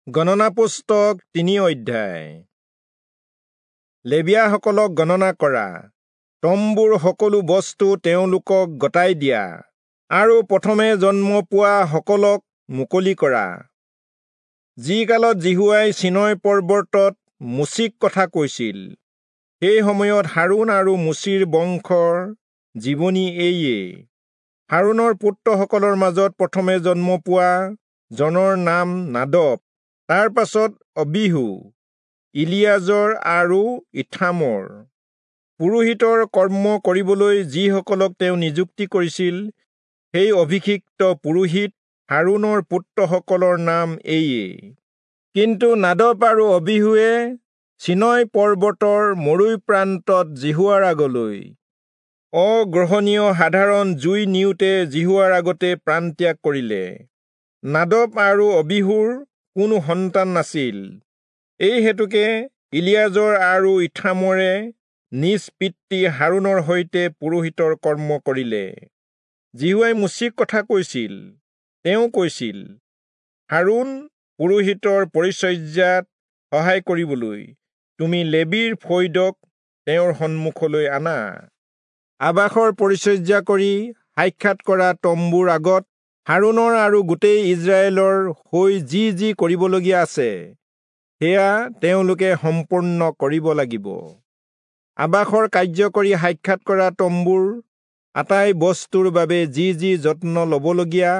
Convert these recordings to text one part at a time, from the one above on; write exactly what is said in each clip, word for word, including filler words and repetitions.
গণনা পুস্তক তিনি অধ্যায়। লেবীয়াসকলক গণনা কৰা, তম্বুৰ সকলো বস্তু তেওঁলোকক গতাই দিয়া আৰু প্ৰথমে জন্ম পোৱা সকলক মুকলি কৰা। যি কালত যিহোৱাই চীনয় পৰ্বতত মোচিক কথা কৈছিল, সেই সময়ত হাৰোণ আৰু মোচিৰ বংশৰ জীৱনী এইয়ে। হাৰোণৰ পুত্ৰসকলৰ মাজত প্ৰথমে জন্ম পোৱা জনৰ নাম নাদব, তাৰ পাছত অবিহু, ইলিয়াজৰ আৰু ইথামৰ। পুৰোহিতৰ কৰ্ম কৰিবলৈ যিসকলক তেওঁ নিযুক্তি কৰিছিল, সেই অভিষিক্ত পুৰোহিত হাৰোণৰ পুত্ৰসকলৰ নাম এইয়ে। কিন্তু নাদব আৰু অবিহুৱে চীনয় পৰ্বতৰ মৰুৰ প্ৰান্তত যিহোৱাৰ আগলৈ অগ্ৰহণীয় সাধাৰণ জুই নিওঁতে যিহোৱাৰ আগতে প্ৰাণত্যাগ কৰিলে। নাদব আৰু অবিহুৰ কোনো সন্তান নাছিল, এই হেতুকে ইলিয়াজৰ আৰু ইথামৰে নিজ পিতৃ হাৰোণৰ সৈতে পুৰোহিতৰ কৰ্ম কৰিলে। যিহোৱাই মোচিক কথা কৈছিল, তেওঁ কৈছিল, হাৰোণ পুৰোহিতৰ পৰিচৰ্যাত সহায় কৰিবলৈ তুমি লেবীৰ ফৈদক তেওঁৰ সন্মুখলৈ আনা। আবাসৰ পৰিচৰ্যা কৰি সাক্ষাৎ কৰা তম্বুৰ আগত হাৰোণৰ আৰু গোটেই ইস্ৰায়েলৰ হৈ যি যি কৰিবলগীয়া আছে, সেয়া তেওঁলোকে সম্পূৰ্ণ কৰিব লাগিব। আবাসৰ কাৰ্য কৰি সাক্ষাৎ কৰা তম্বুৰ আটাই বস্তুৰ বাবে যি যি যত্ন ল'বলগীয়া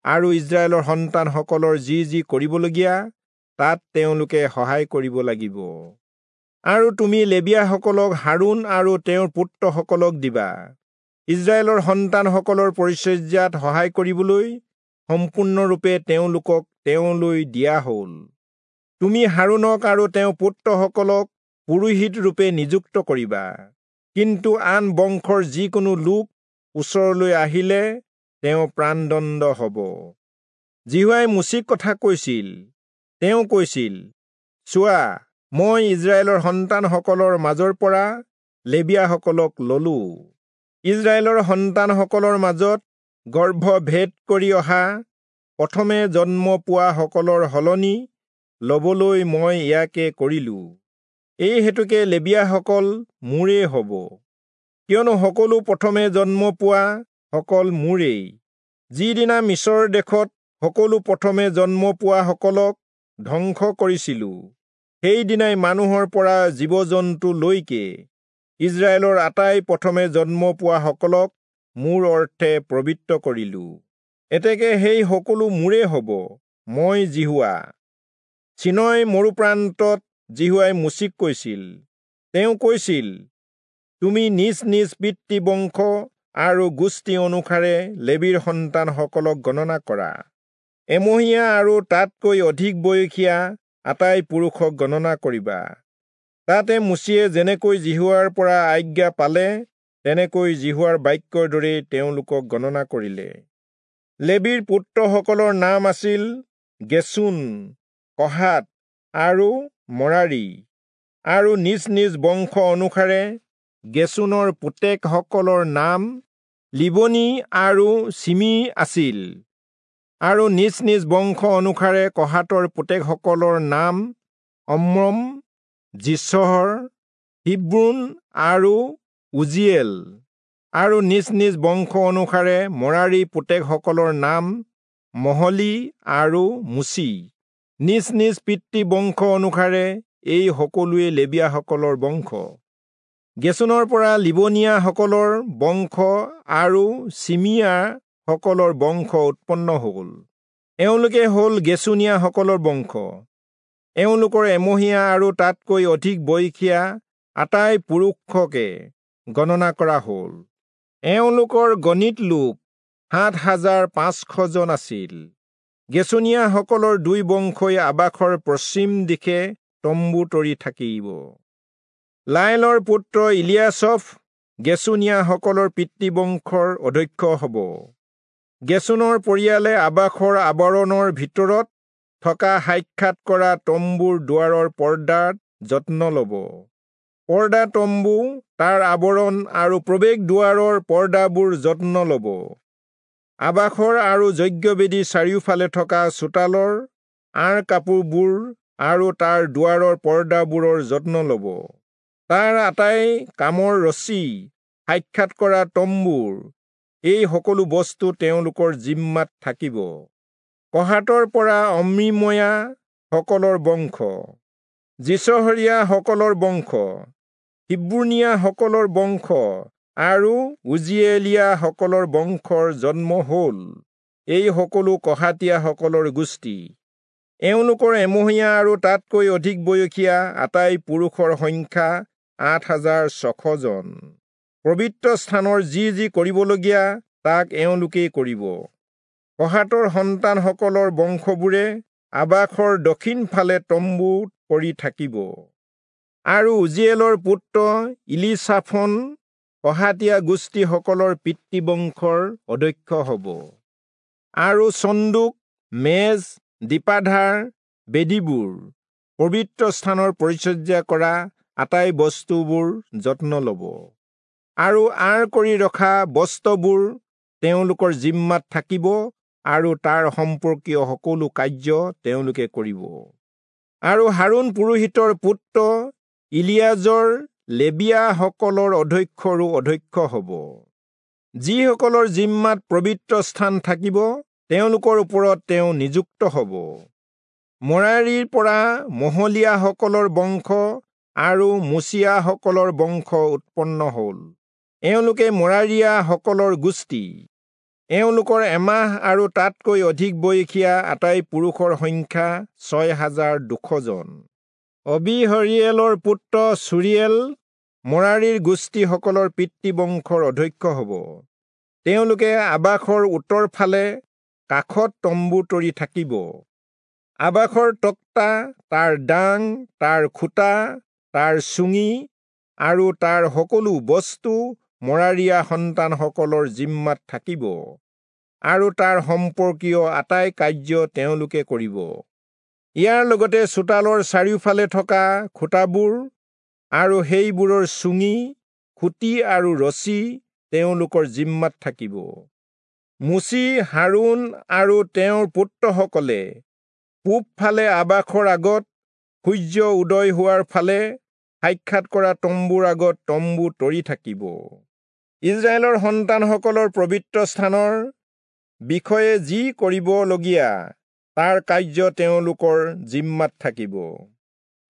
আৰু ইস্ৰায়েলৰ সন্তানসকলৰ যি যি কৰিবলগীয়া, তাত তেওঁলোকে সহায় কৰিব লাগিব। আৰু তুমি লেবীয়াসকলক হাৰোণ আৰু তেওঁৰ পুত্ৰসকলক দিবা, ইস্ৰায়েলৰ সন্তানসকলৰ পৰিচৰ্যাত সহায় কৰিবলৈ সম্পূৰ্ণৰূপে তেওঁলোকক তেওঁলৈ দিয়া হ'ল। তুমি হাৰোণক আৰু তেওঁৰ পুত্ৰসকলক পুৰোহিত ৰূপে নিযুক্ত কৰিবা, কিন্তু আন বংশৰ যিকোনো লোক ওচৰলৈ আহিলে তেওঁ প্ৰাণদণ্ড হ'ব। যিহোৱাই মোচিক কথা কৈছিল, তেওঁ কৈছিল, চোৱা, মই ইস্ৰায়েলৰ সন্তানসকলৰ মাজৰ পৰা লেবীয়াসকলক ললো। ইস্ৰায়েলৰ সন্তানসকলৰ মাজত গৰ্ভভেদ কৰি অহা প্ৰথমে জন্ম পোৱাসকলৰ সলনি লবলৈ মই ইয়াকে কৰিলো। এই হেতুকে লেবীয়াসকল মোৰেই হ'ব, কিয়নো সকলো প্ৰথমে জন্ম পোৱা সকল মোৰেই। যিদিনা মিচৰ দেশত সকলো প্ৰথমে জন্ম পোৱাসকলক ধ্বংস কৰিছিলো, সেইদিনাই মানুহৰ পৰা জীৱ জন্তুলৈকে ইস্ৰায়েলৰ আটাই প্ৰথমে জন্ম পোৱাসকলক মোৰ অৰ্থে পবিত্ৰ কৰিলো। এতেকে সেই সকলো মোৰে হ'ব, মই যিহোৱা। চীনয় মৰুপ্ৰান্তত যিহোৱাই মোচিক কৈছিল, তেওঁ কৈছিল, তুমি নিজ নিজ পিতৃবংশ আৰু গোষ্ঠী অনুসাৰে লেবীৰ সন্তানসকলক গণনা কৰা। এমহীয়া আৰু তাতকৈ অধিক বয়সীয়া আটাই পুৰুষক গণনা কৰিবা। তাতে মোচিয়ে যেনেকৈ যিহোৱাৰ পৰা আজ্ঞা পালে, তেনেকৈ যিহোৱাৰ বাক্যৰ দৰেই তেওঁলোকক গণনা কৰিলে। লেবীৰ পুত্ৰসকলৰ নাম আছিল গেচোন, কহাত আৰু মৰাৰী। আৰু নিজ নিজ বংশ অনুসাৰে গেচোনৰ পুতেকসকলৰ নাম লিবনী আৰু চিমি আছিল। আৰু নিজ নিজ বংশ অনুসাৰে কহাতৰ পুতেকসকলৰ নাম অম্ৰম, যিচহৰ, হিব্ৰোণ আৰু উজিয়েল। আৰু নিজ নিজ বংশ অনুসাৰে মৰাৰী পুতেকসকলৰ নাম মহলী আৰু মুচি। নিজ নিজ পিতৃ বংশ অনুসাৰে এই সকলোৱে লেবীয়াসকলৰ বংশ। গেচোনৰ পৰা লিবনীয়াসকলৰ বংশ আৰু চিমিয়াসকলৰ বংশ উৎপন্ন হ'ল। এওঁলোকে হ'ল গেচোনীয়াসকলৰ বংশ। এওঁলোকৰ এমহীয়া আৰু তাতকৈ অধিক বয়সীয়া আটাই পুৰুষকে গণনা কৰা হ'ল। এওঁলোকৰ গণিত লোক সাত হাজাৰ পাঁচশজন আছিল। গেচোনীয়াসকলৰ দুই বংশই আবাসৰ পশ্চিম দিশে তম্বু তৰি থাকিব। লায়েলৰ পুত্ৰ ইলিয়াচফ গেচোনীয়াসকলৰ পিতৃবংশৰ অধ্যক্ষ হ'ব। গেচোনৰ পৰিয়ালে আবাসৰ আৱৰণৰ ভিতৰত থকা সাক্ষাৎ কৰা তম্বুৰ দুৱাৰৰ পৰ্দাত যত্ন ল'ব। পৰ্দা তম্বু, তাৰ আৱৰণ আৰু প্ৰৱেশ দুৱাৰৰ পৰ্দাবোৰ যত্ন ল'ব। আবাসৰ আৰু যজ্ঞবেদীৰ চাৰিওফালে থকা চোতালৰ আঁৰ কাপোৰবোৰ আৰু তাৰ দুৱাৰৰ পৰ্দাবোৰৰ যত্ন ল'ব। তাৰ আটাই কামৰ ৰছী, সাক্ষাৎ কৰা তম্বুৰ এই সকলো বস্তু তেওঁলোকৰ জিম্মাত থাকিব। কহাতৰ পৰা অম্ৰীময়া সকলৰ বংশ, যিচহৰীয়া সকলৰ বংশ, হিব্ৰোণীয়া সকলৰ বংশ আৰু উজিয়েলীয়া সকলৰ বংশৰ জন্ম হ'ল। এই সকলো কহাতীয়া সকলৰ গোষ্ঠী। এওঁলোকৰ এমহীয়া আৰু তাতকৈ অধিক বয়সীয়া আটাই পুৰুষৰ সংখ্যা আঠ হাজাৰ ছশ জন। পবিত্ৰ স্থানৰ যি যি কৰিবলগীয়া তাক এওঁলোকেই কৰিব। কহাতৰ সন্তানসকলৰ বংশবোৰে আবাসৰ দক্ষিণ ফালে তম্বু কৰি থাকিব। আৰু উজিয়েলৰ পুত্ৰ ইলিচাফন কহাতীয়া গোষ্ঠীসকলৰ পিতৃবংশৰ অধ্যক্ষ হ'ব। আৰু চন্দুক, মেজ, দীপাধাৰ, বেদীবোৰ, পবিত্ৰ স্থানৰ পৰিচৰ্যা কৰা আটাই বস্তুবোৰ যত্ন ল'ব। আৰু আঁৰ কৰি ৰখা বস্ত্ৰবোৰ তেওঁলোকৰ জিম্মাত থাকিব আৰু তাৰ সম্পৰ্কীয় সকলো কাৰ্য তেওঁলোকে কৰিব। আৰু হাৰোণ পুৰোহিতৰ পুত্ৰ ইলিয়াজৰ লেবীয়াসকলৰ অধ্যক্ষৰো অধ্যক্ষ হ'ব। যিসকলৰ জিম্মাত পবিত্ৰ স্থান থাকিব তেওঁলোকৰ ওপৰত তেওঁ নিযুক্ত হ'ব। মৰাৰীৰ পৰা মহলীয়াসকলৰ বংশ আৰু মুচিয়াসকলৰ বংশ উৎপন্ন হ'ল। এওঁলোকে মৰাৰীয়াসকলৰ গোষ্ঠী। এওঁলোকৰ এমাহ আৰু তাতকৈ অধিক বয়সীয়া আটাই পুৰুষৰ সংখ্যা ছয় হাজাৰ দুশজন। অবিহৰিয়েলৰ পুত্ৰ চুৰিয়েল মৰাৰীৰ গোষ্ঠীসকলৰ পিতৃবংশৰ অধ্যক্ষ হ'ব। তেওঁলোকে আবাসৰ উত্তৰ ফালে কাষত তম্বু তৰি থাকিব। আবাসৰ তক্তা, তাৰ দাং, তাৰ খুঁটা, তাৰ চুঙি আৰু তাৰ সকলো বস্তু মৰাৰীয়া সন্তানসকলৰ জিম্মাত থাকিব আৰু তাৰ সম্পৰ্কীয় আটাই কাৰ্য তেওঁলোকে কৰিব। ইয়াৰ লগতে চোতালৰ চাৰিওফালে থকা খুঁটাবোৰ আৰু সেইবোৰৰ চুঙি, খুঁটি আৰু ৰছী তেওঁলোকৰ জিম্মাত থাকিব। মোচি, হাৰোণ আৰু তেওঁৰ পুত্ৰসকলে পূবফালে আবাসৰ আগত সূৰ্য উদয় হোৱাৰ ফালে সাক্ষাৎ কৰা তম্বুৰ আগত তম্বু তৰি থাকিব। ইজৰাইলৰ সন্তানসকলৰ পবিত্ৰ স্থানৰ বিষয়ে যি কৰিবলগীয়া তাৰ কাৰ্য তেওঁলোকৰ জিম্মাত থাকিব।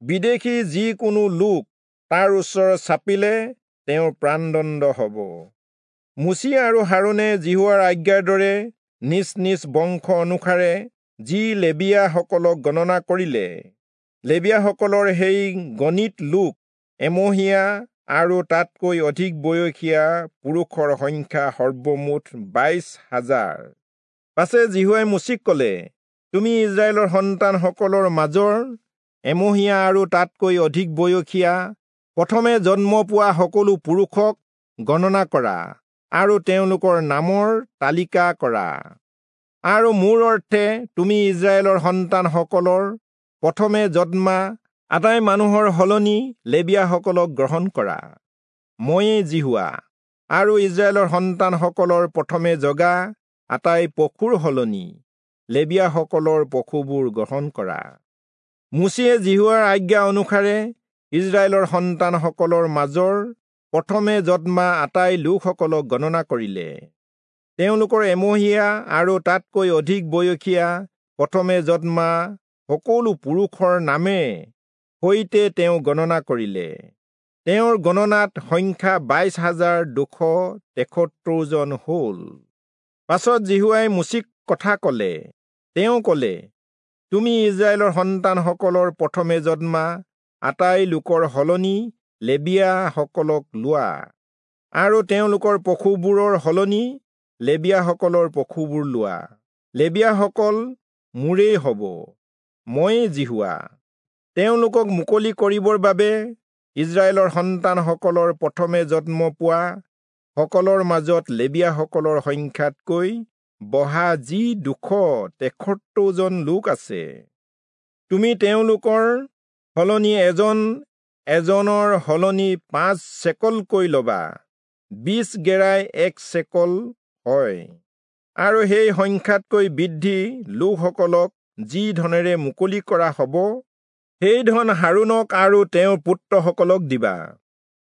বিদেশী যিকোনো লোক তাৰ ওচৰত চাপিলে তেওঁৰ প্ৰাণদণ্ড হ'ব। মোচি আৰু হাৰোণে যিহোৱাৰ আজ্ঞাৰ দৰে নিজ নিজ বংশ অনুসাৰে যি লেবীয়াসকলক গণনা কৰিলে, লেবীয়াসকলৰ সেই গণিত লোক এমহীয়া আৰু তাতকৈ অধিক বয়সীয়া পুৰুষৰ সংখ্যা সৰ্বমুঠ বাইশ হাজাৰ। পাছে যিহোৱাই মোচিক ক'লে, তুমি ইজৰাইলৰ সন্তানসকলৰ মাজৰ এমহীয়া আৰু তাতকৈ অধিক বয়সীয়া প্ৰথমে জন্ম পোৱা সকলো পুৰুষক গণনা কৰা আৰু তেওঁলোকৰ নামৰ তালিকা কৰা। আৰু মোৰ অৰ্থে তুমি ইজৰাইলৰ সন্তানসকলৰ প্ৰথমে জন্মা আটাই মানুহৰ সলনি লেবীয়াসকলক গ্ৰহণ কৰা। ময়েই যিহোৱা। আৰু ইজৰাইলৰ সন্তানসকলৰ প্ৰথমে জগা আটাই পশুৰ সলনি লেবীয়াসকলৰ পশুবোৰ গ্ৰহণ কৰা। মোচিয়ে যিহোৱাৰ আজ্ঞা অনুসাৰে ইজৰাইলৰ সন্তানসকলৰ মাজৰ প্ৰথমে জন্মা আটাই লোকসকলক গণনা কৰিলে। তেওঁলোকৰ এমহীয়া আৰু তাতকৈ অধিক বয়সীয়া প্ৰথমে জন্মা সকলো পুৰুষৰ নামে সৈতে তেওঁ গণনা কৰিলে। তেওঁৰ গণনাত সংখ্যা বাইশ হাজাৰ দুশ তেসত্তৰজন হ'ল। পাছত যিহোৱাই মোচিক কথা ক'লে। তেওঁ ক'লে, তুমি ইজৰাইলৰ সন্তানসকলৰ প্ৰথমে জন্মা আটাই লোকৰ সলনি লেবীয়াসকলক লোৱা আৰু তেওঁলোকৰ পশুবোৰৰ সলনি লেবীয়াসকলৰ পশুবোৰ লোৱা। লেবীয়াসকল মোৰেই হ'ব, ময়েই যিহোৱা। তেওঁলোকক মুকলি কৰিবৰ বাবে ইজৰাইলৰ সন্তানসকলৰ প্ৰথমে জন্ম পোৱা সকলৰ মাজত লেবীয়াসকলৰ সংখ্যাতকৈ বহা যি দুশ তেসত্তৰজন লোক আছে, তুমি তেওঁলোকৰ সলনি এজন এজনৰ সলনি পাঁচ চেকলকৈ ল'বা। বিশ গেৰাই এক চেকল হয়। আৰু সেই সংখ্যাতকৈ বৃদ্ধি লোকসকলক যি ধনেৰে মুকলি কৰা হ'ব, সেই ধন হাৰোণক আৰু তেওঁৰ পুত্ৰসকলক দিবা।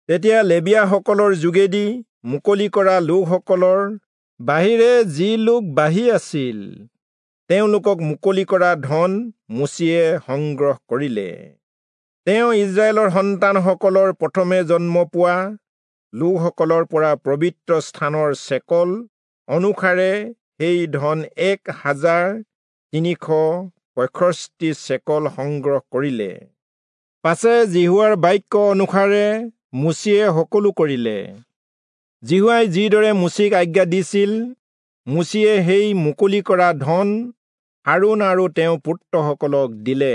তেতিয়া লেবীয়াসকলৰ যোগেদি মুকলি কৰা লোকসকলৰ বাহিৰে যি লোক বাঢ়ি আছিল, তেওঁলোকক মুকলি কৰা ধন মোচিয়ে সংগ্ৰহ কৰিলে। তেওঁ ইস্ৰায়েলৰ সন্তানসকলৰ প্ৰথমে জন্ম পোৱা লোকসকলৰ পৰা পবিত্ৰ স্থানৰ চেকল অনুসাৰে সেই ধন এক হাজাৰ তিনিশ পঁয়ষষ্ঠি চেকল সংগ্ৰহ কৰিলে। পাছে যিহোৱাৰ বাক্য অনুসাৰে মোচিয়ে সকলো কৰিলে। যিহোৱাই যিদৰে মোচিক আজ্ঞা দিছিল, মোচিয়ে সেই মুকলি কৰা ধন হাৰোণ আৰু তেওঁৰ পুত্ৰসকলক দিলে।